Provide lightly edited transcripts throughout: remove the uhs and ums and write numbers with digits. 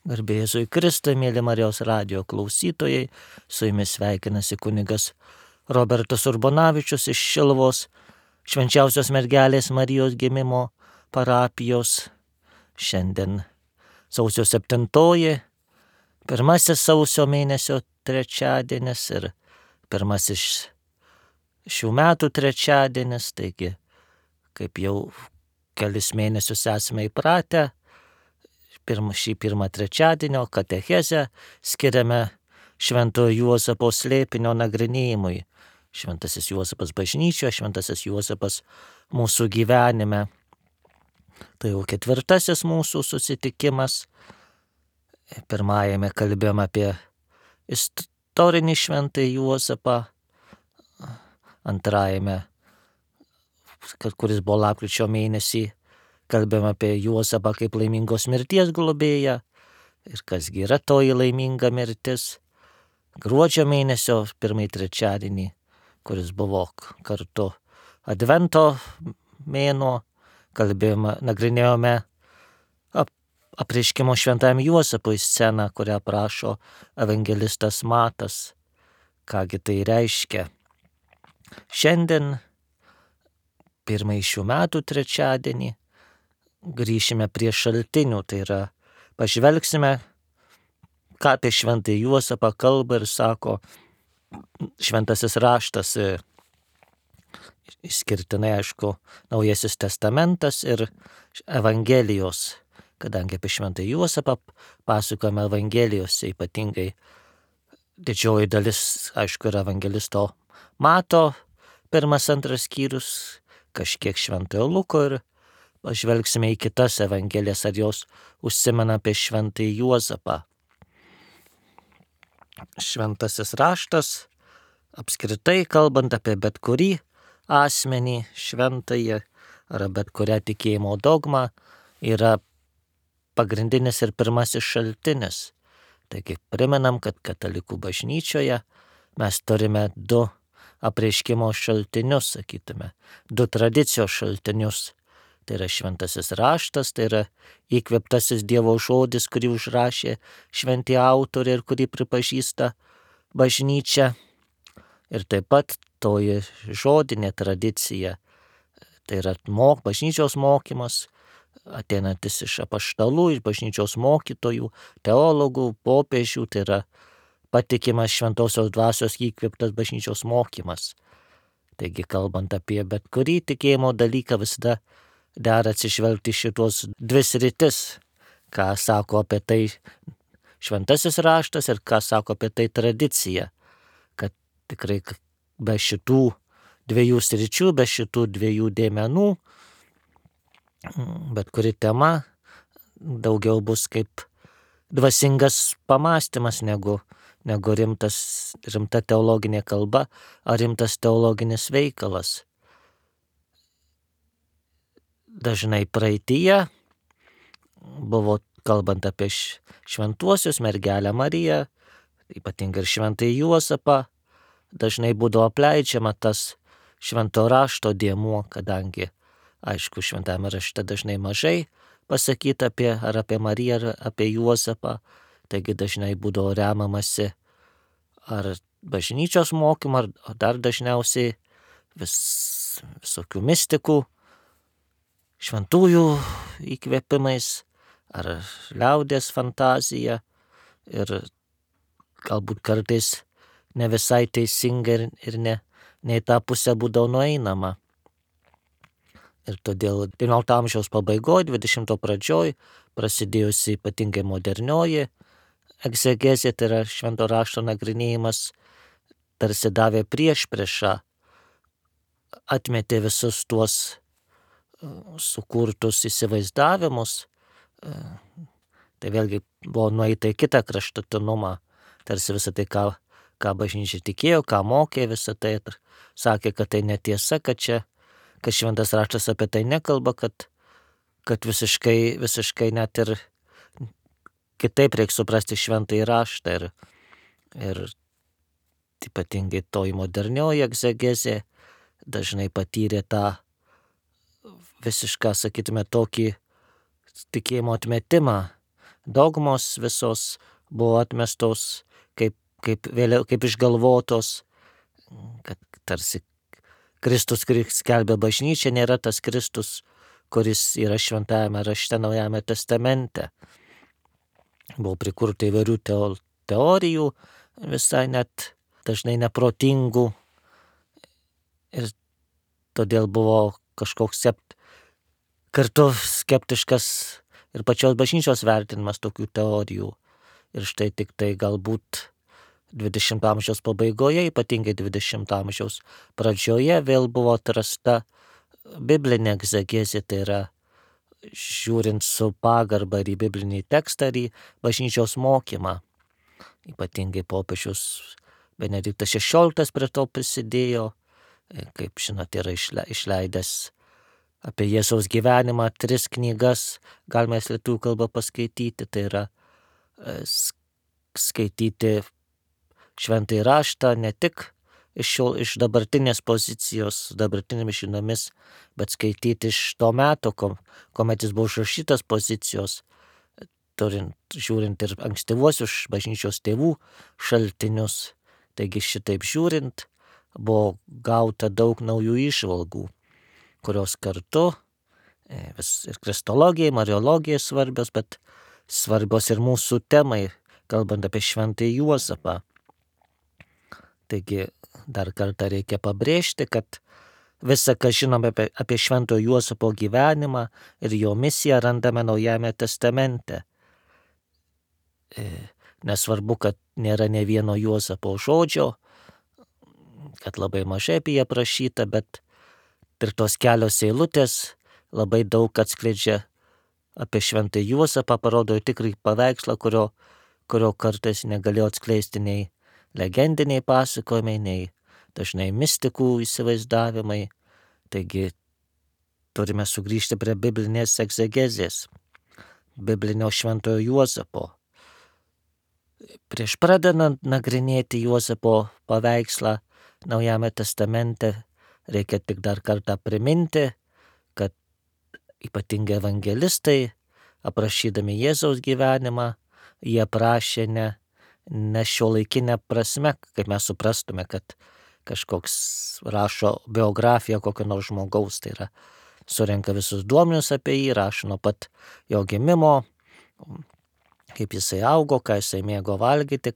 Garbė Jėzui Kristui, mėly Marijos radijo klausytojai, su jumis sveikinasi kunigas Robertas Urbonavičius iš Šiluvos Švenčiausios mergelės Marijos gimimo parapijos. Šiandien sausio 7, pirmasis sausio mėnesio trečiadienis ir pirmasis šių metų trečiadienis, taigi kaip jau kelis mėnesius esame įpratę, šį pirmą trečiadienio katechezę skiriame Šventojo Juozapo slėpinio nagrinėjimui. Šventasis Juozapas bažnyčioje, Šventasis Juozapas mūsų gyvenime. Tai jau 4. mūsų susitikimas. Pirmajame kalbėjome apie istorinį Šventąjį Juozapą. Antrajame, kuris buvo lapkričio mėnesį, kalbėjome apie Juozapą kaip laimingos mirties globėją ir kasgi yra toji laiminga mirtis. Gruodžio mėnesio pirmąjį trečiadienį, kuris buvo kartu Advento mėnuo, nagrinėjome apreiškimo Šventajam Juozapui sceną, kurią aprašo evangelistas Matas. Kągi tai reiškia? Šiandien, pirmąjį šių metų trečiadienį, grįšime prie šaltinių, tai yra pažvelgsime, ką apie Šventąjį Juozapą kalba ir sako Šventasis raštas, išskirtinai aišku Naujasis testamentas ir Evangelijos, kadangi apie Šventąjį Juozapą pasakojame Evangelijose, ypatingai didžioji dalis, aišku, yra evangelisto Mato 1-2 skyrius, kažkiek Šventojo Luko ir pažvelgsime į kitas evangelijas, ar jos užsimena apie Šventąjį Juozapą. Šventasis raštas, apskritai kalbant apie bet kurį asmenį šventąjį ar bet kurią tikėjimo dogmą, yra pagrindinis ir pirmasis šaltinis. Taigi primenam, kad katalikų bažnyčioje mes turime 2 apreiškimo šaltinius, sakytume, 2 tradicijos šaltinius. Tai yra šventasis raštas, tai yra įkvėptasis Dievo žodis, kurį užrašė šventi autoriai ir kurį pripažįsta bažnyčia. Ir taip pat toji žodinė tradicija, tai yra bažnyčios mokymas, ateinantis iš apaštalų, iš bažnyčios mokytojų, teologų, popiežių, tai yra patikimas šventosios dvasios įkvėptas bažnyčios mokymas. Taigi, kalbant apie bet kurį tikėjimo dalyką, visada dera atsižvelgti šitos 2 sritis, ką sako apie tai šventasis raštas ir ką sako apie tai tradicija, kad tikrai be šitų 2 sričių, be šitų 2 dėmenų, bet kuri tema daugiau bus kaip dvasingas pamąstymas negu rimta teologinė kalba ar rimtas teologinis veikalas. Dažnai praeityje buvo, kalbant apie šventuosius, mergelę Mariją, ypatingai ir Šventąjį Juozapą, dažnai būdavo apleidžiama tas švento rašto dėmuo, kadangi, aišku, šventame rašte dažnai mažai pasakyta apie Mariją ar apie Juozapą, taigi dažnai būdavo remamasi ar bažnyčios mokymu, ar dar dažniausiai visokių mistikų, šventųjų įkvėpimais ar liaudies fantazija ir galbūt kartais ne visai teisinga ir ne į tą pusę būdavo nueinama. Ir todėl 19 amžiaus pabaigoje, 20 pradžioj prasidėjusi ypatingai modernioji egzegezė, tai yra švento rašto nagrinėjimas, tarsi davė priešpriešą, atmetė visus tuos sukurtus įsivaizdavimus, tai vėlgi buvo nueita į kitą kraštutinumą, tarsi visą tai, ką bažnyčia tikėjo, ką mokė, visą tai ir sakė, kad tai netiesa, kad šventas raštas apie tai nekalba, kad visiškai net ir kitaip reikia suprasti šventąjį raštą ir ypatingai toji modernioji egzegezė dažnai patyrė tą visišką, sakytume, tokį tikėjimo atmetimą dogmos visos buvo atmestos kaip vėliau, kaip išgalvotos, kad tarsi Kristus, kuris skelbia bažnyčią, nėra tas Kristus, kuris yra šventajame rašte Naujame testamente. Buvo prikurta įvairių teorijų, visai net dažnai neprotingų, ir todėl buvo kažkoks kartu skeptiškas ir pačios bažnyčios vertinimas tokių teorijų. Ir štai tik tai galbūt 20 amžiaus pabaigoje, ypatingai 20 amžiaus pradžioje, vėl buvo atrasta biblinė egzegezė, tai yra žiūrint su pagarba ir į biblinį tekstą, ir į bažnyčios mokymą. Ypatingai popiežius Benediktas XVI prie to prisidėjo, kaip žinote, yra išleidęs apie Jėzaus gyvenimą 3 knygas, galima jas lietuvių kalbą paskaityti, tai yra skaityti šventąjį raštą ne tik iš dabartinės pozicijos, dabartinėmis žiniomis, bet skaityti iš to meto, kuomet jis buvo užrašytas pozicijos, žiūrint ir ankstyvuosius bažnyčios tėvų šaltinius. Taigi šitaip žiūrint, buvo gauta daug naujų įžvalgų, kurios kartu ir kristologijai, mariologijai svarbios, bet svarbios ir mūsų temai, kalbant apie šventąjį Juozapą. Taigi dar kartą reikia pabrėžti, kad visa, ką žinome apie šventojo Juozapo gyvenimą ir jo misiją, randame Naujame testamente. Nesvarbu, kad nėra ne vieno Juozapo žodžio, kad labai mažai apie jį aprašyta, bet ir tos kelios eilutės labai daug atskleidžia apie šventąjį Juozapą, parodo tikrąjį paveikslą, kurio kartais negalėjo atskleisti nei legendiniai pasakojimai, nei dažnai mistikų įsivaizdavimai. Taigi turime sugrįžti prie biblinės egzegezės, biblinio šventojo Juozapo. Prieš pradedant nagrinėti Juozapo paveikslą Naujame testamente, reikia tik dar kartą priminti, kad ypatingai evangelistai, aprašydami Jėzaus gyvenimą, jie aprašė ne šiuolaikinę prasme, kaip mes suprastume, kad kažkoks rašo biografiją kokio nors žmogaus, tai yra surenka visus duomenis apie jį, rašo nuo pat jo gimimo, kaip jisai augo, ką jisai mėgo valgyti,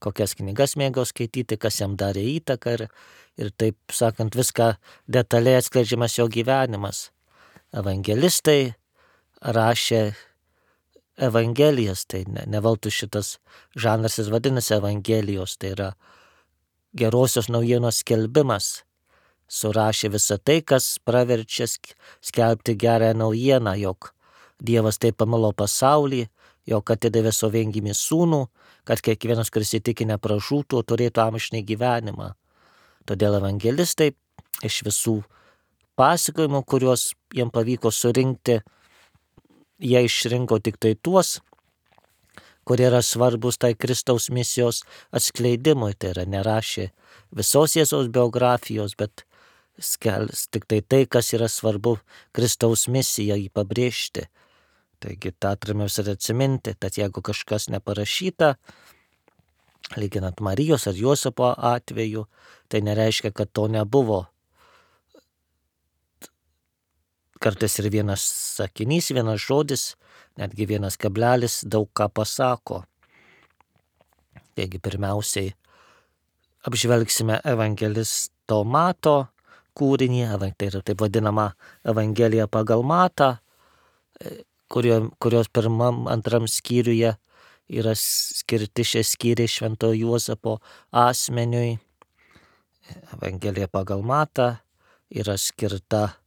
kokias knygas mėgo skaityti, kas jam darė įtaką, ir taip sakant viską detaliai atskleidžiamas jo gyvenimas. Evangelistai rašė Evangelijas, tai ne veltui šitas žanras jis vadinasi Evangelijos, tai yra gerosios naujienos skelbimas. Surašė visą tai, kas praverčia skelbti gerąją naujieną, jog Dievas taip pamilo pasaulį, jog atidavė savo viengimį sūnų, kad kiekvienas, kuris įtiki, nepražūtų, turėtų amžinąjį gyvenimą. Todėl evangelistai iš visų pasakojimų, kuriuos jiem pavyko surinkti, jie išrinko tik tai tuos, kurie yra svarbus tai Kristaus misijos atskleidimui. Tai yra nerašė visos Jėzaus biografijos, bet tik tai, kas yra svarbu Kristaus misiją jį pabrėžti. Taigi tą turime visada atsiminti, tad jeigu kažkas neparašyta, lyginant Marijos ar Juozapo atveju, tai nereiškia, kad to nebuvo. Kartais ir vienas sakinys, vienas žodis, netgi vienas kablelis daug ką pasako. Taigi pirmiausiai apžvelgsime evangelisto Mato kūrinį, tai yra taip vadinama Evangelija pagal Matą, kurios pirmam, antram skyriuje yra skirti šie skyriai šventojo Juozapo asmeniui. Evangelija pagal Matą yra skirta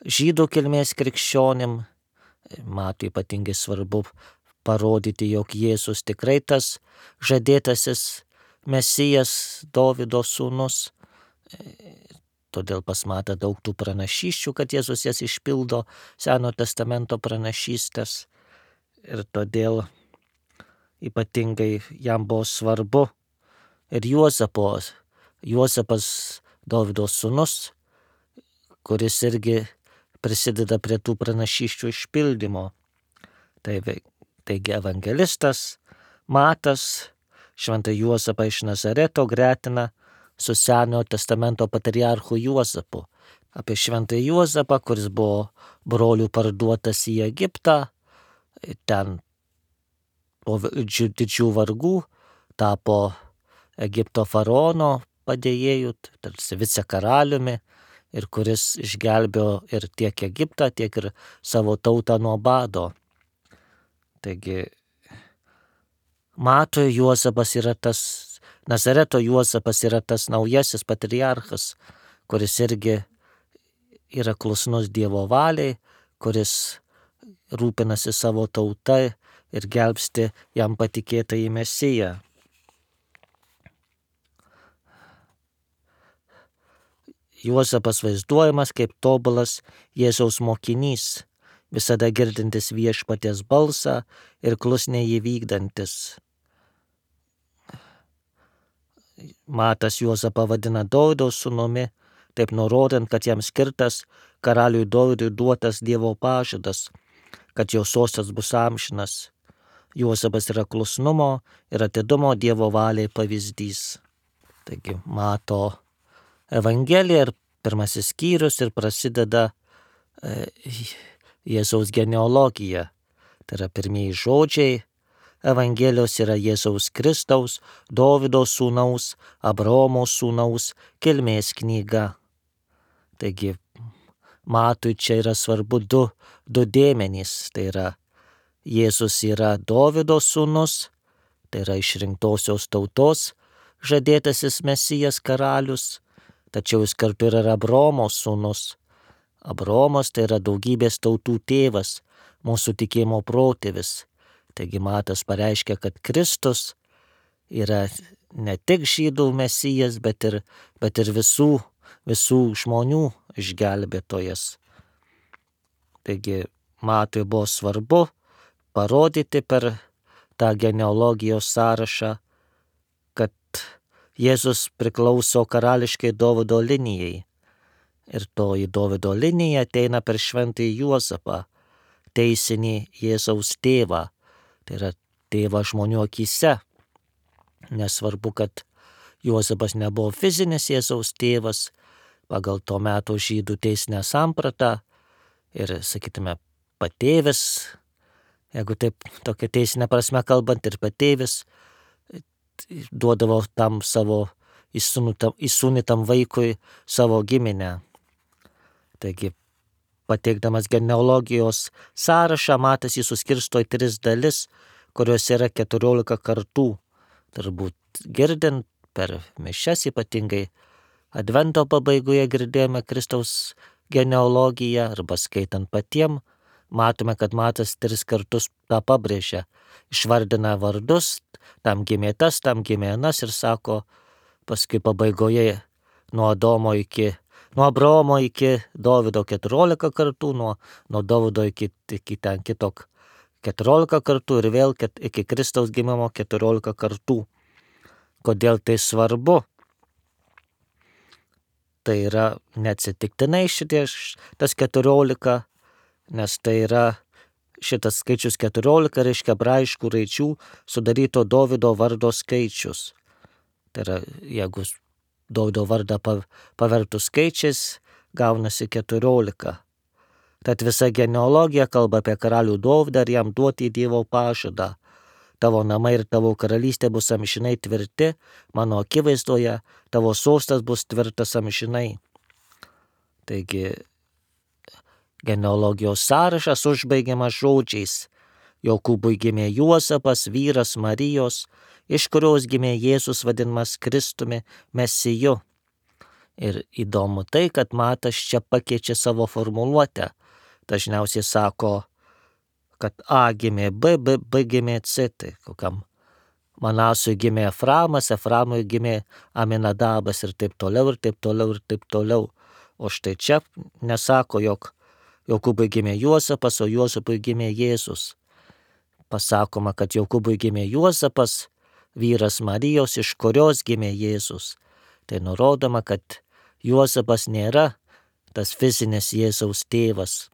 žydų kilmės krikščionim. Matui ypatingai svarbu parodyti, jog Jėzus tikrai tas žadėtasis Mesijas, Dovydo sūnus. Todėl pas Matą daug tų pranašysčių, kad Jėzus jas išpildo, Seno testamento pranašystės. Ir todėl ypatingai jam buvo svarbu ir Juozapas Dovydo sūnus, kuris irgi prisideda prie tų pranašysčių išpildymo. Tai Taigi evangelistas Matas šventą Juozapą iš Nazareto gretina su Senojo testamento patriarchu Juozapu. Apie šventą Juozapą, kuris buvo brolių parduotas į Egiptą, ten po didžių vargų tapo Egipto faraono padėjėjų, tarsi vicekaraliumi, ir kuris išgelbėjo ir tiek Egiptą, tiek ir savo tautą nuo bado. Taigi Matui Juozapas yra tas, Nazareto Juozapas yra tas naujasis patriarchas, kuris irgi yra klusnus Dievo valiai, kuris rūpinasi savo tauta ir gelbsti jam patikėtą į Mesiją. Juozapas vaizduojamas kaip tobulas Jėzaus mokinys, visada girdintis viešpaties balsą ir klusniai jį vykdantis. Matas Juozapą vadina Dovydo sūnumi, taip nurodant, kad jam skirtas karaliui Dovydui duotas Dievo pažadas, kad jo sostas bus amžinas. Juozapas yra klusnumo ir atidumo Dievo valiai pavyzdys. Taigi Mato Evangelija ir pirmasis skyrius ir prasideda Jėzaus genealogija. Tai yra pirmieji žodžiai Evangelijos yra Jėzaus Kristaus, Dovydo sūnaus, Abraomo sūnaus kilmės knyga. Taigi Matui čia yra svarbu du dėmenys. Tai yra Jėzus yra Dovydo sūnus, tai yra išrinktosios tautos žadėtasis Mesijas karalius, tačiau jis kartu yra Abraomo sūnus. Abraomas tai yra daugybės tautų tėvas, mūsų tikėjimo protėvis. Taigi Matas pareiškia, kad Kristus yra ne tik žydų Mesijas, bet ir visų žmonių išgelbėtojas. Taigi Matui buvo svarbu parodyti per tą genealogijos sąrašą, kad Jėzus priklauso karališkai Dovydo linijai. Ir toji Dovydo linija ateina per šventąjį Juozapą, teisinį Jėzaus tėvą. Tai yra tėvą žmonių akyse. Nesvarbu, kad Juozapas nebuvo fizinis Jėzaus tėvas pagal to meto žydų teisinę sampratą ir, sakytume, patėvis, jeigu taip tokia teisinė prasme kalbant, ir patėvis duodavo tam savo įsūnytam vaikui savo giminę. Taigi, pateikdamas genealogijos sąrašą, Matas jį suskirsto į 3 dalis, kurios yra 14 kartų. Turbūt girdint per mišias, ypatingai Advento pabaigoje girdėjome Kristaus genealogiją, arba skaitant patiem, matome, kad Matas 3 kartus tą pabrėžia. Išvardina vardus, tam gimė tas, tam gimė anas ir sako paskui pabaigoje nuo Abraomo iki Dovydo 14 kartų, nuo Dovydo iki ten kito 14 kartų ir vėl iki Kristaus gimimo 14 kartų. Kodėl tai svarbu? Tai yra neatsitiktinai tas 14, nes tai yra šitas skaičius 14 reiškia hebraiškų raidžių sudaryto Dovydo vardo skaičius. Tai yra, jeigu Dovydo vardą pavertus skaičiais, gaunasi 14. Tad visa genealogija kalba apie karalių Dovydą ir jam duoti Dievo pažadą. Tavo namai ir tavo karalystė bus amžinai tvirti, mano akivaizdoje tavo sostas bus tvirtas amžinai. Taigi, genealogijos sąrašas užbaigiamas žodžiais: Jokūbui gimė Juozapas, vyras Marijos, iš kurios gimė Jėzus vadinamas Kristumi, Mesiju. Ir įdomu tai, kad Matas čia pakeičia savo formuluotę. Dažniausiai sako, kad A gimė B, B gimė C. Tai kokiam Manasui gimė Eframas, Eframui gimė Aminadabas ir taip toliau, ir taip toliau, ir taip toliau. O štai čia nesako, jog Jokūbui gimė Juozapas, o Juozapui gimė Jėzus. Pasakoma, kad Jokūbui gimė Juozapas, vyras Marijos, iš kurios gimė Jėzus. Tai nurodoma, kad Juozapas nėra tas fizinis Jėzaus tėvas,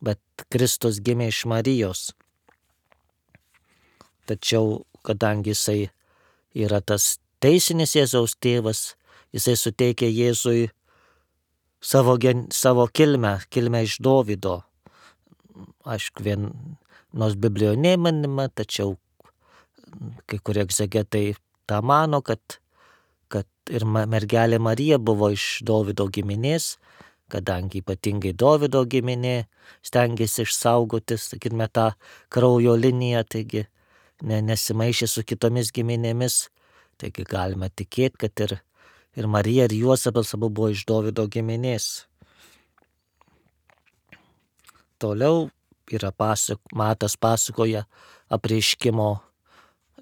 bet Kristus gimė iš Marijos. tačiau kadangi jisai yra tas teisinis Jėzaus tėvas, jisai suteikia Jėzui savo kilmę iš Dovydo. Aišku, nors Biblijoje neminima, tačiau kai kurie egzegetai tą mano, kad ir mergelė Marija buvo iš Dovydo giminės, kadangi ypatingai Dovydo giminė stengiasi išsaugoti, sakykime, tą kraujo liniją, taigi nesimaišė su kitomis giminėmis, taigi galima tikėti, kad ir Marija, ir Juozapas abu buvo iš Dovydo giminės. Toliau yra Matas pasakoja apreiškimo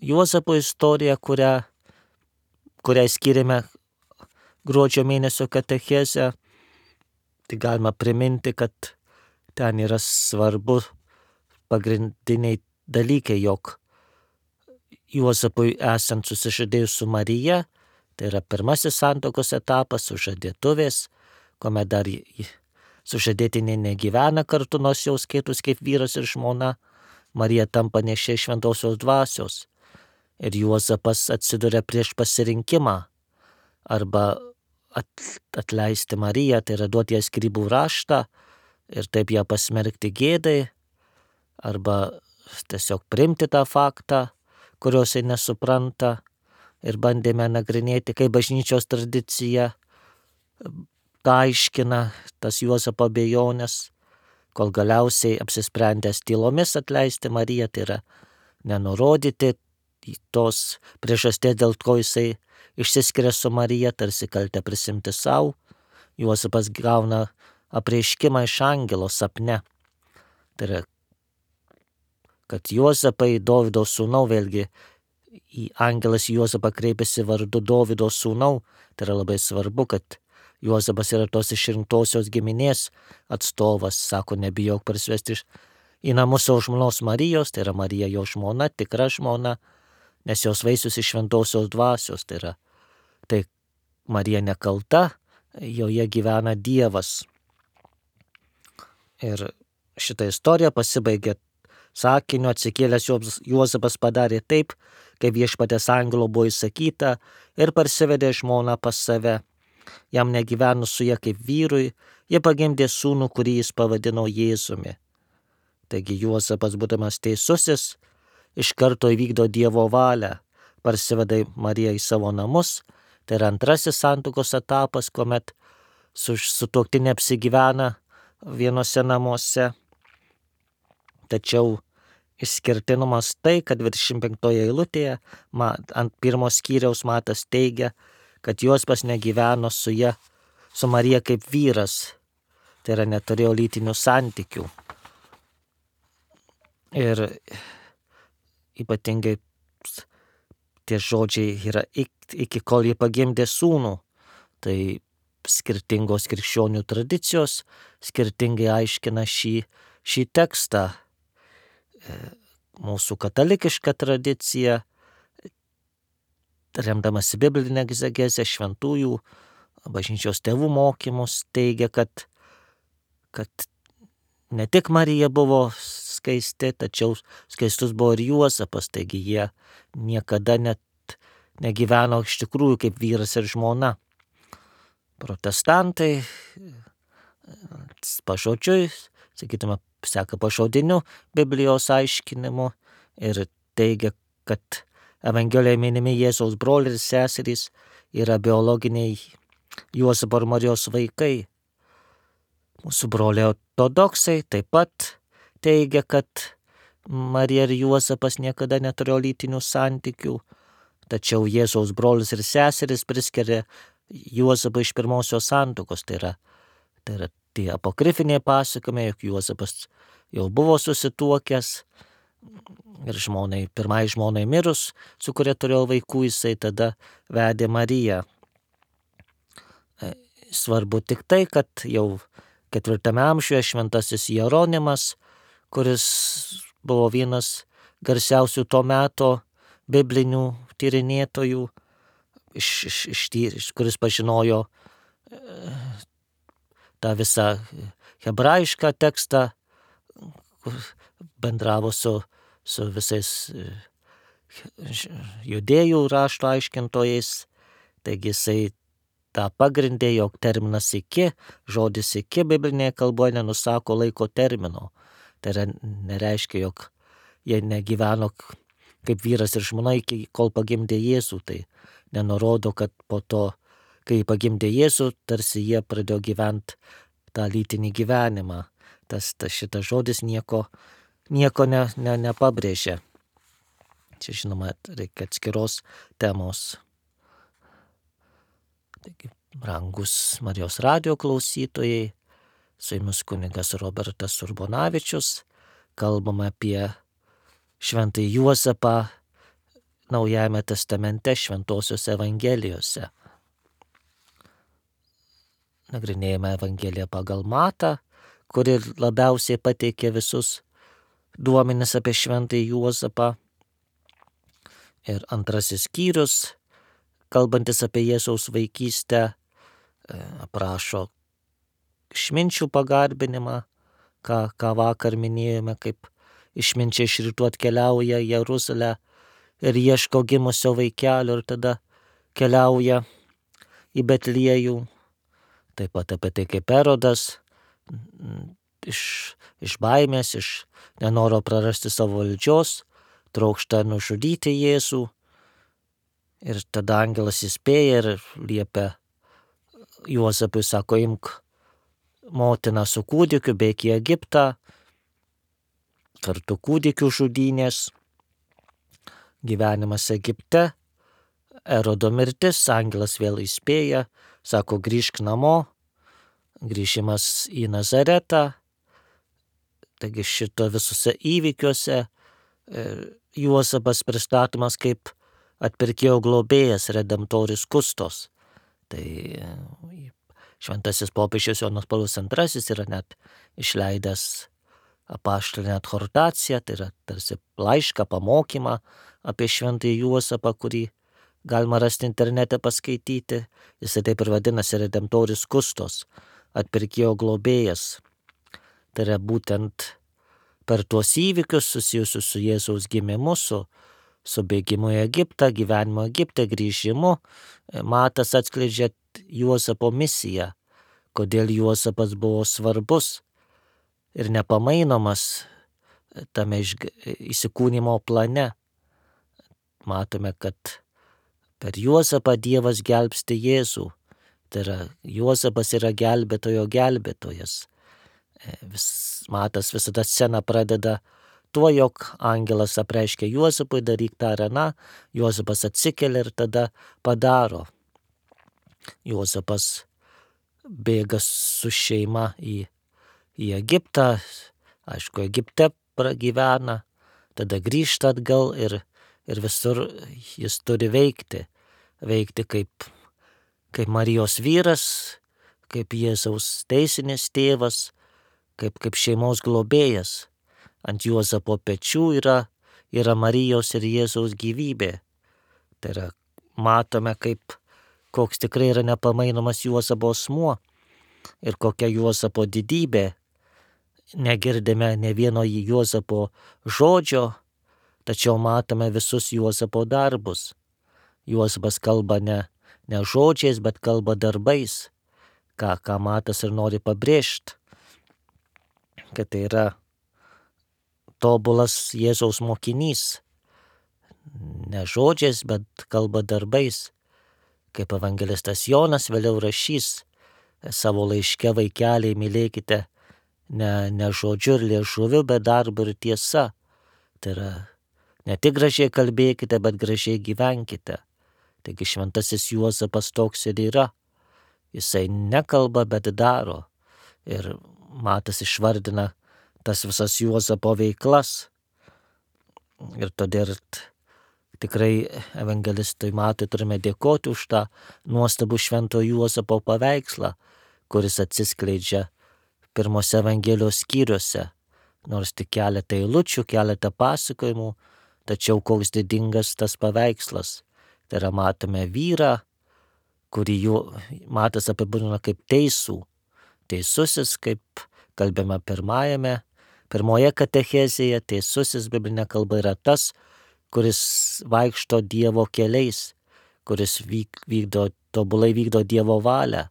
Juozapo istoriją, kuriai skiriame gruodžio mėnesio katechezę. Tai galima priminti, kad ten yra svarbu pagrindiniai dalykai, jog Juozapui esant susižadėjus su Marija, tai yra pirmasis santuokos etapas, sužadėtuvės, kuomet dar sužadėtinė negyvena kartu, nors jau skaitus kaip vyras ir žmona, Marija tampa nešė šventosios dvasios ir Juozapas atsiduria prieš pasirinkimą arba atleisti Mariją, tai yra duoti ją skyrybų raštą ir taip ją pasmerkti gėdai, arba tiesiog priimti tą faktą, kurios jis nesupranta, ir bandėme nagrinėti, kaip bažnyčios tradicija aiškina tas Juozapo abejonės, kol galiausiai apsisprendęs tylomis atleisti Mariją, tai yra nenurodyti tos priežasties, dėl ko jisai išsiskiria su Marija, tarsi kaltę prisimti savo, Juozapas gauna apreiškimą iš angelo sapne. Tai yra, kad Juozapai, Dovydo sūnau, vėlgi angelas Juozapą kreipiasi vardu Dovydo sūnau, tai yra labai svarbu, kad Juozapas yra tos išrinktosios giminės atstovas, sako, nebijok parsivesti į namus savo žmonos Marijos, tai yra Marija jo žmona, tikra žmona, nes jos vaisius iš šventosios dvasios, tai yra, tai Marija nekalta, joje gyvena Dievas. Ir šitą istoriją pasibaigė sakiniu, atsikėlęs Juozapas padarė taip, kaip viešpaties angelo buvo įsakyta, ir parsivedė žmoną pas save. Jam negyvenus su ja kaip vyrui, jie pagimdė sūnų, kurį jis pavadino Jėzumi. Taigi Juozapas, būdamas teisusis, iš karto įvykdo Dievo valią, parsiveda Mariją į savo namus, tai yra antrasis santuokos etapas, kuomet sutuoktinė apsigyvena vienose namuose. Tačiau išskirtinumas tai, kad 25 eilutėje ant 1 skyriaus Matas teigia, kad Juozapas negyveno su Marija kaip vyras, tai yra neturėjo lytinių santykių. Ir ypatingai tie žodžiai yra iki kol jie pagimdė sūnų, tai skirtingos krikščionių tradicijos skirtingai aiškina šį tekstą. Mūsų katalikiška tradicija, remdamasi biblinę egzegezę, šventųjų bažnyčios tėvų mokymus, teigia, kad ne tik Marija buvo skaisti, tačiau skaistus buvo ir Juozapas, taigi jie niekada net negyveno iš tikrųjų kaip vyras ir žmona. Protestantai pažodžiui, sakytume, seka pažodiniu Biblijos aiškinimu ir teigia, kad Evangelijoje minimi Jėzaus broliai ir seserys yra biologiniai Juozapo ir Marijos vaikai. Mūsų broliai ortodoksai taip pat teigia, kad Marija ir Juozapas niekada neturėjo lytinių santykių, tačiau Jėzaus brolis ir seserys priskiria Juozapą iš pirmosios santuokos, tai yra tie apokrifiniai pasakojimai, jog Juozapas jau buvo susituokęs ir pirmai žmonai mirus, su kuria turėjo vaikų, jisai tada vedė Mariją. Svarbu tik tai, kad jau 4 amžiuje šventasis Jeronimas, kuris buvo vienas garsiausių to meto biblinių tyrinėtojų, kuris pažinojo tą visą hebrajišką tekstą, bendravo su visais judėjų rašto aiškintojais, taigi jisai tą pagrindė, jog terminas iki, žodis iki biblinėje kalboje nenusako laiko termino. Tai nereiškia, jog jie negyveno kaip vyras ir žmona iki kol pagimdė Jėzų. Tai nenurodo, kad po to, kai pagimdė Jėzų, tarsi jie pradėjo gyventi tą lytinį gyvenimą. Šitas žodis nieko nepabrėžia. Čia žinoma, reikia atskiros temos. Taigi, brangus Marijos radijo klausytojai, su jumis kunigas Robertas Urbonavičius, kalbame apie šventąjį Juozapą Naujajame testamente, šventosios evangelijose. Nagrinėjame Evangeliją pagal Matą, kuri labiausiai pateikė visus duomenis apie šventąjį Juozapą. Ir antrasis skyrius, kalbantis apie Jėzaus vaikystę, aprašo išminčių pagarbinimą, ką vakar minėjome, kaip išminčiai iš rytų atkeliauja į Jeruzalę ir ieško gimusio vaikelio ir tada keliauja į Betliejų. Taip pat apie tai, kaip Erodas iš baimės, iš nenoro prarasti savo valdžios, trokšta nužudyti Jėzų. Ir tada angelas įspėja ir liepia Juozapui, sako, imk motiną su kūdikiu, bėk į Egiptą, kartu kūdikių žudynės, gyvenimas Egipte, Erodo mirtis, angelas vėl įspėja, sako, grįžk namo, grįžimas į Nazaretą. Taigi šito visuose įvykiuose Juozapas pristatomas kaip atpirkėjo globėjas, redemptoris kustos. Tai šventasis popiežius Jonas Paulius II yra net išleidęs apaštalinę adhortaciją, tai yra tarsi laišką, pamokymą apie šventąjį Juozapą, kurį galima rasti internete paskaityti. Jisai taip ir vadinasi, redemptoris kustos, atpirkėjo globėjas. Tai yra būtent per tuos įvykius susijusius su Jėzaus gimimu, su bėgimu į Egiptą, gyvenimo Egipte, grįžimu, Matas atskleidžia Juozapo misiją, kodėl Juozapas buvo svarbus ir nepamainomas tame įsikūnymo plane. Matome, kad per Juozapą Dievas gelbsti Jėzų. Tai yra, Juozapas yra gelbėtojo gelbėtojas. Matas visada sceną pradeda tuo, jog angelas apreiškia Juozapui, daryk tą ar aną, Juozapas atsikelia ir tada padaro. Juozapas bėga su šeima į Egiptą, aišku, Egipte pragyvena, tada grįžta atgal ir visur jis turi veikti kaip Marijos vyras, kaip Jėzaus teisinis tėvas, kaip šeimos globėjas. Ant Juozapo pečių yra Marijos ir Jėzaus gyvybė. Tai yra, matome, koks tikrai yra nepamainomas Juozapo asmuo ir kokia Juozapo didybė. Negirdime ne vieno Juozapo žodžio, tačiau matome visus Juozapo darbus. Juozapas kalba ne žodžiais, bet kalba darbais, ką Matas ir nori pabrėžti, kad tai yra tobulas Jėzaus mokinys, ne žodžiais, bet kalba darbais, kaip evangelistas Jonas vėliau rašys savo laiške, vaikeliai, mylėkite ne žodžiu ir liežuviu, bet darbu ir tiesa. Tai yra, ne tik gražiai kalbėkite, bet gražiai gyvenkite. Taigi šventasis Juozapas toks ir yra. Jisai nekalba, bet daro. Ir Matas išvardina tas visas Juozapo veiklas. Ir todėl tikrai evangelistui Matui turime dėkoti už tą nuostabų švento Juozapo paveikslą, kuris atsiskleidžia pirmose Evangelijos skyriuose. Nors tik keletą eilučių, keletą pasakojimų, tačiau koks didingas tas paveikslas. Tai yra, matome vyrą, kurį Matas apibūdina kaip teisų. Teisusis, kaip kalbėjome pirmoje katechezėje, teisusis biblinė kalba yra tas, kuris vaikšto Dievo keliais, kuris tobulai vykdo Dievo valią.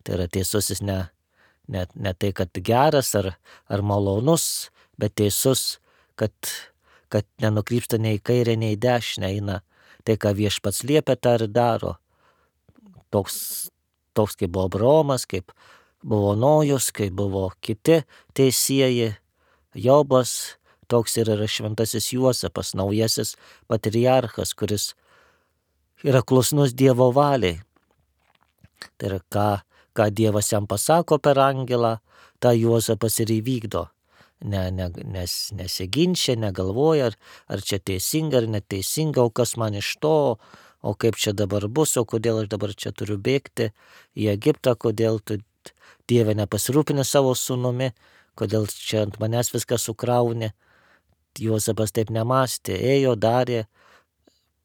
Tai yra teisusis ne tai, kad geras ar malonus, bet teisus, kad nenukrypsta nei į kairę, nei į dešinę, eina tai, ką Viešpats liepia, tą ir daro. Toks kaip buvo Abraomas, kaip buvo Nojus, kaip buvo kiti teisieji, Jobas, toks ir yra šventasis Juozapas, naujasis patriarchas, kuris yra klusnus Dievo valiai. Tai yra, ką Dievas jam pasako per angelą, tą Juozapas ir įvykdo. Nesiginčia, negalvoja, ar čia teisinga ar neteisinga, o kas man iš to, o kaip čia dabar bus, o kodėl aš dabar čia turiu bėgti į Egiptą, kodėl tu, Dieve, nepasirūpini savo sūnumi, kodėl čia ant manęs viską sukrauni. Juozapas taip nemąstė, ėjo, darė,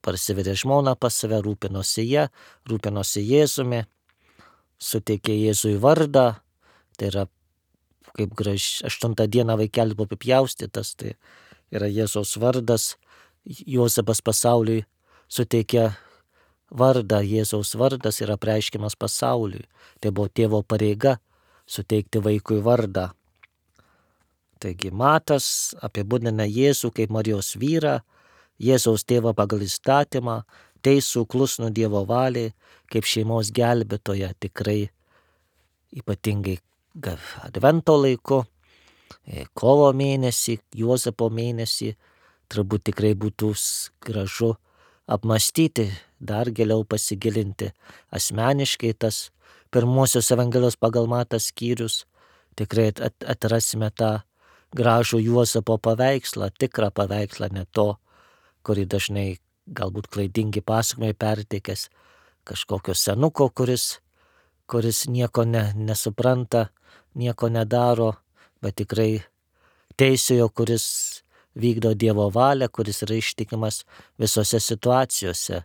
parsivedė žmoną pas save, rūpinosi Jėzumi, suteikė Jėzui vardą, tai yra kaip 8 dieną vaikelis buvo apipjaustytas, tai yra Jėzaus vardas. Juozapas pasauliui suteikė vardą, Jėzaus vardas yra apreiškiamas pasauliui. Tai buvo tėvo pareiga suteikti vaikui vardą. Taigi Matas apibūdina Jėzų kaip Marijos vyrą, Jėzaus tėvą pagal įstatymą, teisų klusnų Dievo valiai, kaip šeimos gelbėtoją, tikrai ypatingai Advento laiku, kovo mėnesį, Juozapo mėnesį, turbūt tikrai būtų gražu apmąstyti, dar giliau pasigilinti asmeniškai tas pirmosios Evangelijos pagal Matą skyrius, tikrai atrasime tą gražų Juozapo paveikslą, tikrą paveikslą, ne to, kurį dažnai galbūt klaidingi pasakojimai perteikęs kažkokio senuko, kuris nieko nesupranta, nieko nedaro, bet tikrai teisiojo, kuris vykdo Dievo valią, kuris yra ištikimas visose situacijose,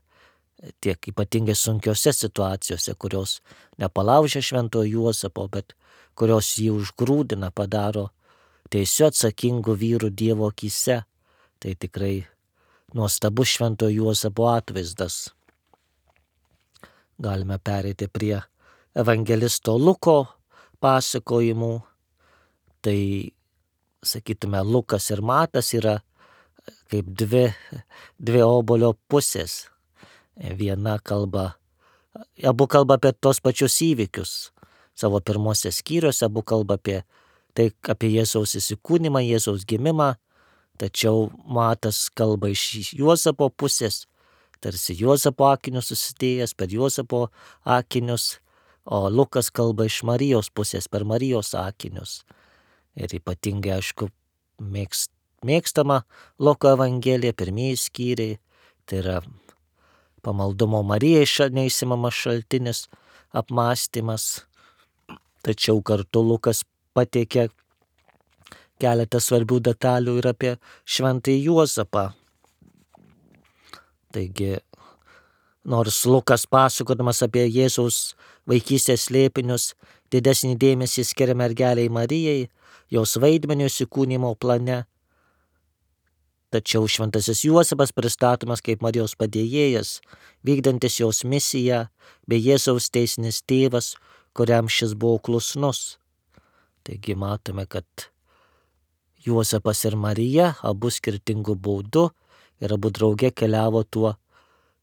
tiek ypatingai sunkiose situacijose, kurios nepalaužia šventojo Juozapo, bet kurios jį užgrūdina, padaro teisiu atsakingu vyru Dievo akyse. Tai tikrai nuostabus šventojo Juozapo atvaizdas. Galime pereiti prie evangelisto Luko pasakojimų. Tai, sakytume, Lukas ir Matas yra kaip dvi obuolio pusės. Abu kalba apie tos pačius įvykius. Savo pirmose skyriuose abu kalba apie Jėzaus įsikūnymą, Jėzaus gimimą, tačiau Matas kalba iš Juozapo pusės, tarsi Juozapo akinius susidėjęs per Juozapo akinius, o Lukas kalba iš Marijos pusės per Marijos akinius. Ir ypatingai, aišku, mėgstama Luko Evangelija, pirmieji skyriai, tai yra pamaldumo Marijai neišsimamas šaltinis, apmąstymas, tačiau kartu Lukas pateikia keletą svarbių detalių ir apie šventąjį Juozapą. Taigi, nors Lukas pasakodamas apie Jėzaus vaikystės slėpinius didesnį dėmesį skiria mergeliai Marijai, jos vaidmeniu įsikūnymo plane, tačiau šventasis Juozapas pristatomas kaip Marijos padėjėjas, vykdantis jos misiją, bei Jėzaus teisinis tėvas, kuriam šis buvo klusnus. Taigi matome, kad Juozapas ir Marija abu skirtingų būdų ir abu drauge keliavo tuo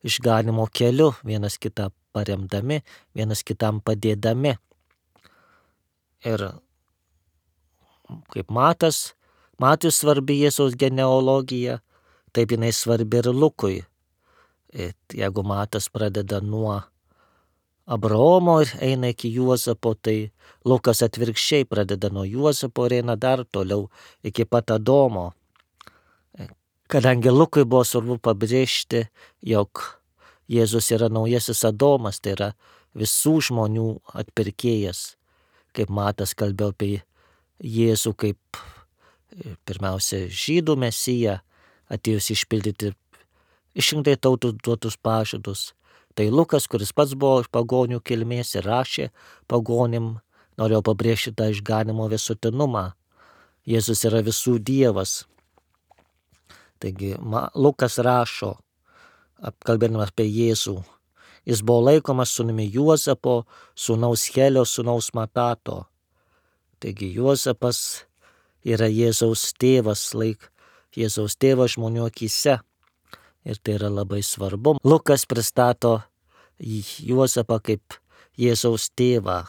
išganymo keliu, vienas kitą paremdami, vienas kitam padėdami. Ir kaip Matui svarbi Jėzaus genealogija, taip jinai svarbi ir Lukui. Jeigu Matas pradeda nuo Abraomo ir eina iki Juozapo, tai Lukas atvirkščiai pradeda nuo Juozapo ir eina dar toliau iki pat Adomo. Kadangi Lukui buvo svarbu pabrėžti, jog Jėzus yra naujasis Adomas, tai yra visų žmonių atpirkėjas, kaip Matas kalbėjo apie Jėzų kaip pirmiausia žydų mesiją, atėjus išpildyti išrinktai tautų duotus pažadus. Tai Lukas, kuris pats buvo iš pagonių kilmės ir rašė pagonim, norėjo pabrėžti tą išganimo visuotinumą. Jėzus yra visų Dievas. Taigi Lukas rašo, apkalbėdamas apie Jėzų, jis buvo laikomas sūnumi Juozapo, sūnaus Helio, sūnaus Matato. Taigi Juozapas yra Jėzaus tėvas, Jėzaus tėvas žmonių akyse. Ir tai yra labai svarbu. Lukas pristato Juozapą kaip Jėzaus tėvą.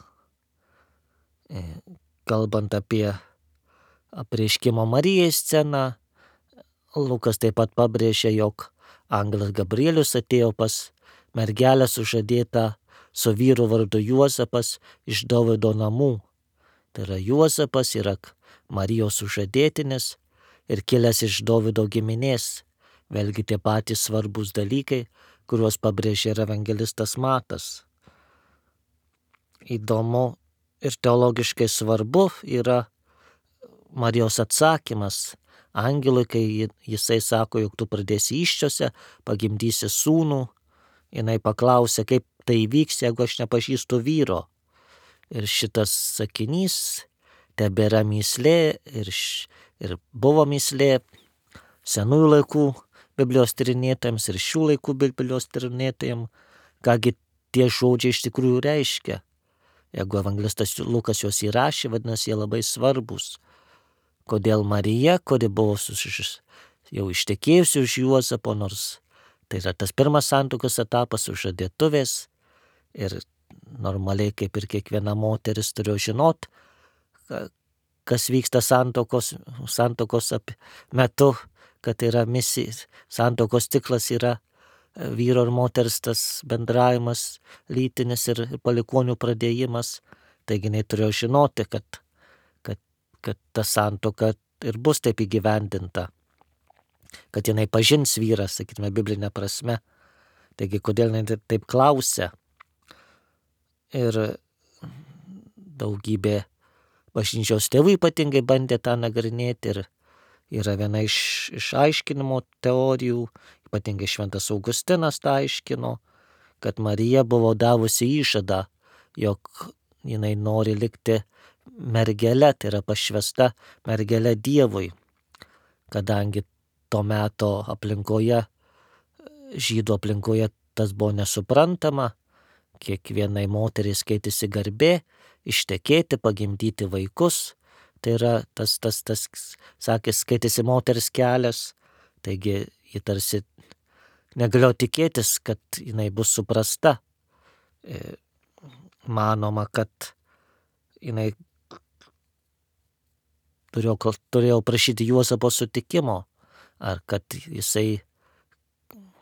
Kalbant apie apreiškimo Marijai sceną, Lukas taip pat pabrėžia, jog angelas Gabrielius atėjo pas mergelę sužadėtą su vyru vardu Juozapas iš Dovydo namų. Tai yra Juozapas yra Marijos sužadėtinis ir kilęs iš Dovydo giminės. Vėlgi tie patys svarbus dalykai, kuriuos pabrėžė ir evangelistas Matas. Įdomu ir teologiškai svarbu yra Marijos atsakymas angelui, kai jisai sako, jog tu pradėsi įsčiose, pagimdysi sūnų. Jinai paklausė, kaip tai vyks, jeigu aš nepažįstu vyro. Ir šitas sakinys tebėra mįslė ir buvo mįslė senųjų laikų Biblijos tyrinėtojams ir šių laikų Biblijos tyrinėtojams, kągi tie žodžiai iš tikrųjų reiškia. Jeigu evangelistas Lukas juos įrašė, vadinasi, jie labai svarbus. Kodėl Marija, kuri buvo jau ištekėjusi už Juozapo, nors tai yra tas pirmas santuokos etapas sužadėtuvės ir normaliai kaip ir kiekviena moteris turėjo žinot, kas vyksta santuokos metu, kad yra misija, santuokos tiklas yra vyro ir moters tas bendravimas, lytinis ir palikuonių pradėjimas. Taigi jinai turėjo žinoti, kad ta santuoka ir bus taip įgyvendinta, kad jinai pažins vyrą, sakytume, biblinė prasme. Taigi kodėl jinai taip klausia? Ir daugybė bažnyčios tėvų ypatingai bandė tą nagrinėti ir yra viena iš aiškinimo teorijų, ypatingai Šventas Augustinas tą aiškino, kad Marija buvo davusi įžadą, jog jinai nori likti mergele, tai yra pašvesta mergele Dievui, kadangi to meto aplinkoje, žydų aplinkoje tas buvo nesuprantama, kiekvienai moteriai skaitėsi garbė ištekėti, pagimdyti vaikus. Tai yra tas sakė, skaitėsi moters kelias, taigi ji tarsi negalėjo tikėtis, kad jinai bus suprasta. Manoma, kad jinai turėjo prašyti Juozapo sutikimo, ar kad jisai,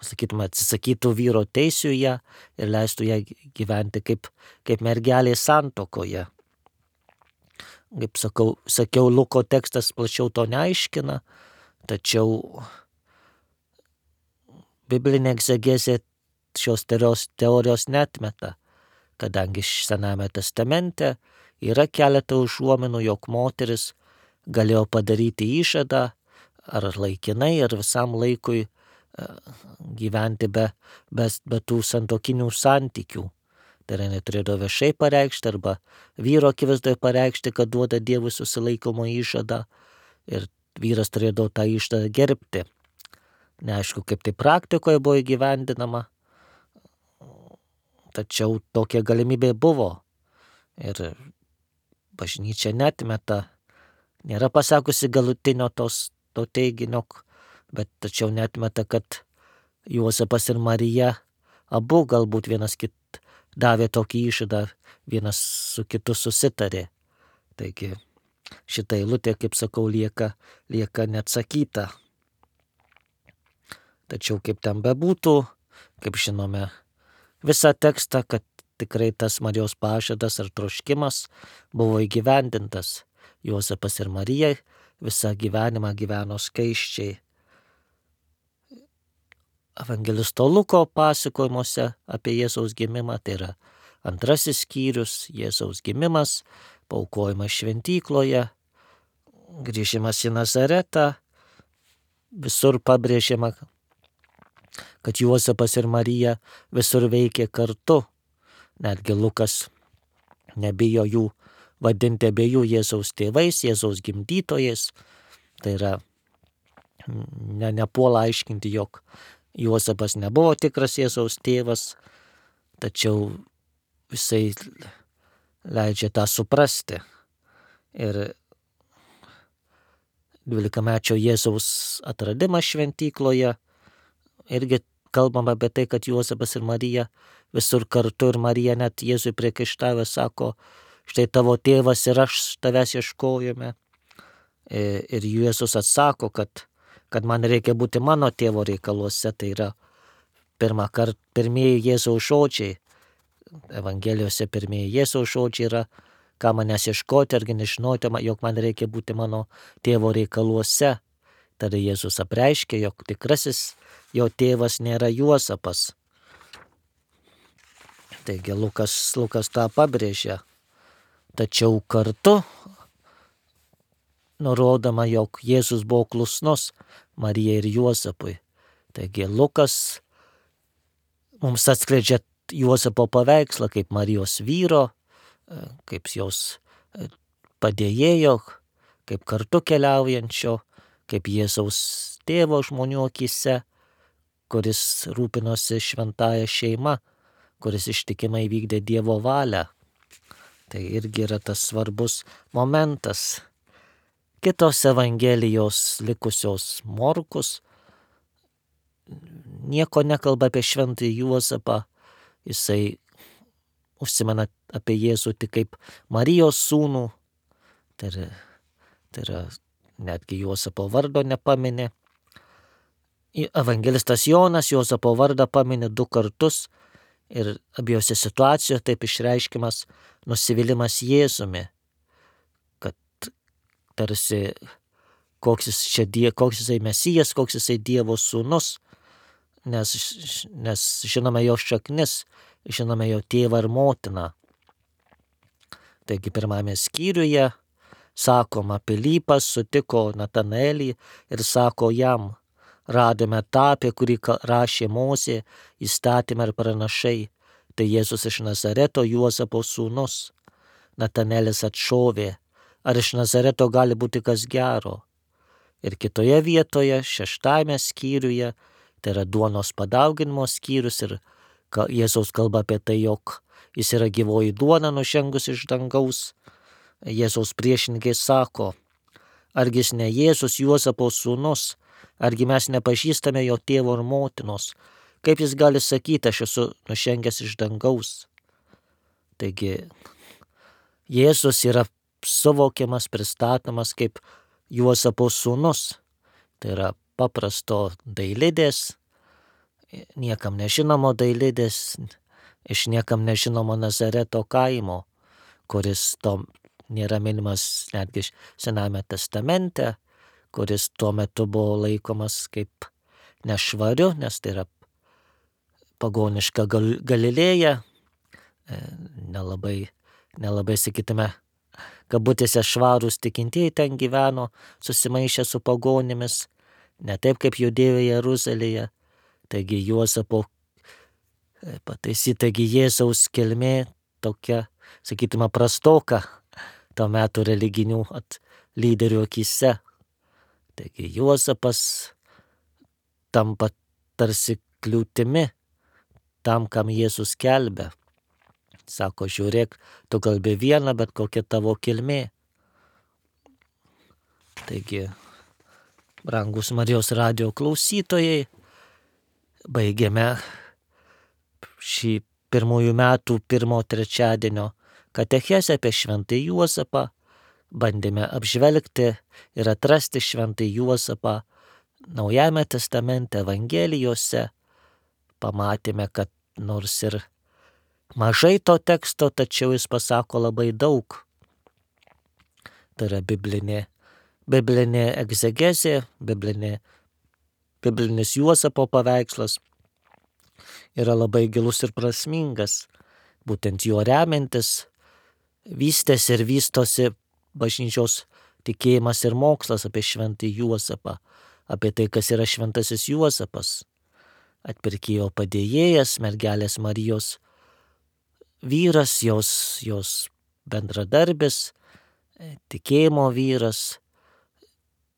sakytume, atsisakytų vyro teisių ją ir leistų ją gyventi kaip mergelė santuokoje. Kaip sakiau, Luko tekstas plačiau to neaiškina, tačiau biblinė egzegezė šios teorijos neatmeta, kadangi Senajame testamente yra keletą užuominų, jog moteris galėjo padaryti įžadą ar laikinai, ar visam laikui gyventi be tų santuokinių santykių. Tai yra neturėdavo viešai pareikšti arba vyro akivaizdoje pareikšti, kad duoda Dievui susilaikomo įžadą ir vyras turėdavo tą įžadą gerbti. Neaišku, kaip tai praktikoje buvo įgyvendinama, tačiau tokia galimybė buvo ir bažnyčia neatmeta, nėra pasakusi galutinio to teiginio, bet tačiau neatmeta, kad Juozapas ir Marija abu galbūt vienas davė tokį įžadą, vienas su kitu susitarė. Taigi šita eilutė, kaip sakau, lieka neatsakyta. Tačiau kaip ten bebūtų, kaip žinome visą tekstą, kad tikrai tas Marijos pažadas ar troškimas buvo įgyvendintas. Juozapas ir Marija visą gyvenimą gyveno skaisčiai. Evangelisto Luko pasakojimuose apie Jėzaus gimimą, tai yra 2 skyrius, Jėzaus gimimas, paaukojimas šventykloje, grįžimas į Nazaretą, visur pabrėžiama, kad Juozapas ir Marija visur veikė kartu. Netgi Lukas nebijo jų vadinti abiejų Jėzaus tėvais, Jėzaus gimdytojais. Tai yra nepuola aiškinti, jog Juozapas nebuvo tikras Jėzaus tėvas, tačiau jisai leidžia tą suprasti. Ir 12-mečio Jėzaus atradimas šventykloje irgi kalbama apie tai, kad Juozapas ir Marija visur kartu, ir Marija net Jėzui priekaištavę sako, štai tavo tėvas ir aš tavęs ieškojome. Ir Jėzus atsako, kad man reikia būti mano tėvo reikaluose. Tai yra pirmieji Jėzaus žodžiai. Evangelijose pirmieji Jėzaus žodžiai yra, ką manęs ieškoti, argi nežinoti, jog man reikia būti mano tėvo reikaluose. Tada Jėzus apreiškė, jog tikrasis jo tėvas nėra Juozapas. Taigi Lukas tą pabrėžia. Tačiau kartu nurodoma, jog Jėzus buvo klusnus Marijai ir Juozapui. Taigi Lukas mums atskleidžia Juozapo paveikslą kaip Marijos vyro, kaip jos padėjėjo, kaip kartu keliaujančio, kaip Jėzaus tėvo žmonių akyse, kuris rūpinosi šventąją šeimą, kuris ištikimai vykdė Dievo valią. Tai irgi yra tas svarbus momentas. Kitos Evangelijos likusios Morkus nieko nekalba apie šventąjį Juozapą. Jisai užsimena apie Jėzų tik kaip Marijos sūnų. Tai yra netgi Juozapo vardo nepamini. Evangelistas Jonas Juozapo vardą pamini 2 kartus. Ir abiejose situacijose taip išreiškimas nusivylimas Jėzumi, kad tarsi koks jisai Mesijas, koks jisai Dievo sūnus, nes žinome jo šaknis, žinome jo tėvą ir motiną. Taigi pirmame skyriuje sakoma, Pilypas sutiko Natanaelį ir sako jam, radome tą, apie kurį rašė Mozė, įstatymą ir pranašai, tai Jėzus iš Nazareto, Juozapo sūnus. Natanaelis atšovė, ar iš Nazareto gali būti kas gero? Ir kitoje vietoje, 6 skyriuje, tai yra duonos padauginimo skyrius, ir Jėzaus kalba apie tai, jog jis yra gyvoji duona nužengus iš dangaus. Jėzaus priešininkai sako, argi jis ne Jėzus Juozapo sūnus, argi mes nepažįstame jo tėvo ir motinos, kaip jis gali sakyti, aš esu nužengęs iš dangaus. Taigi Jėzus yra suvokiamas, pristatomas kaip Juozapo sūnus. Tai yra paprasto dailidės, niekam nežinomo dailidės, iš niekam nežinomo Nazareto kaimo, kuris nėra minimas netgi Sename testamente, kuris tuo metu buvo laikomas kaip nešvariu, nes tai yra pagoniška Galilėja, nelabai sakytume, kabutėse švarūs tikintieji ten gyveno, susimaišę su pagonimis, ne taip kaip Judėjoje Jeruzalėje. Taigi Juozapo taigi Jėzaus kilmė tokia, sakytume, prastoka to metų religinių lyderių akyse. Taigi Juozapas tampa tarsi kliūtimi tam, kam Jėzus skelbia. Sako, žiūrėk, tu kalbi vieną, bet kokia tavo kilmė. Taigi, brangus Marijos radijo klausytojai, baigėme šį 1 metų 1 trečiadienio katechezę apie šventąjį Juozapą. Bandėme apžvelgti ir atrasti šventąjį Juozapą Naujajame testamente, Evangelijose. Pamatėme, kad nors ir mažai to teksto, tačiau jis pasako labai daug. Tai yra biblinė egzegezė, biblinis Juozapo paveikslas yra labai gilus ir prasmingas. Būtent juo remiantis vystėsi ir vystosi bažnyčios tikėjimas ir mokslas apie šventąjį Juozapą, apie tai, kas yra šventasis Juozapas, atpirkėjo padėjėjas, mergelės Marijos vyras, jos bendradarbis, tikėjimo vyras,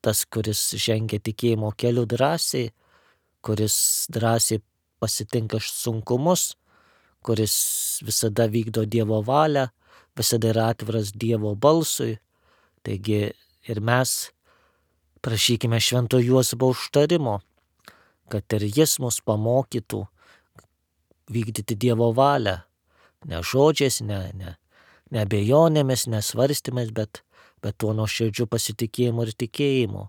tas, kuris žengia tikėjimo keliu drąsiai, kuris drąsiai pasitinka sunkumus, kuris visada vykdo Dievo valią, visada yra atviras Dievo balsui. Taigi ir mes prašykime Švento Juozapo užtarimo, kad ir jis mus pamokytų vykdyti Dievo valią, ne žodžiais, ne abejonėmis, nesvarstymais, bet tuo nuoširdžiu pasitikėjimu ir tikėjimu.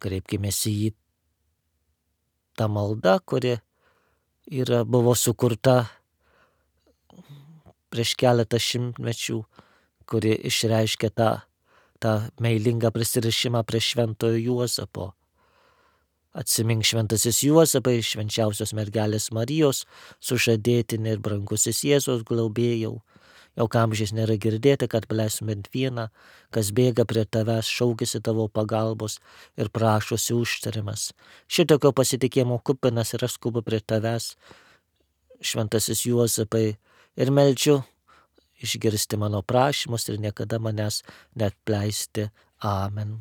Kreipkimės į jį tą maldą, kuri buvo sukurta prieš keletą šimtmečių, kuri išreiškia tą meilingą prisirišimą prie Šventojo Juozapo. Atsimink, šventasis Juozapai, švenčiausios mergelės Marijos sužadėtinė ir brangusis Jėzaus globėjau, jau amžiais nėra girdėti, kad paleistum bent vieną, kas bėga prie tavęs, šaukėsi tavo pagalbos ir prašosi užtarimas. Šitokio pasitikėjimo kupinas ir aš skubu prie tavęs, šventasis Juozapai, ir meldžiu išgirsti mano prašymus ir niekada manęs neatleisti. Amen.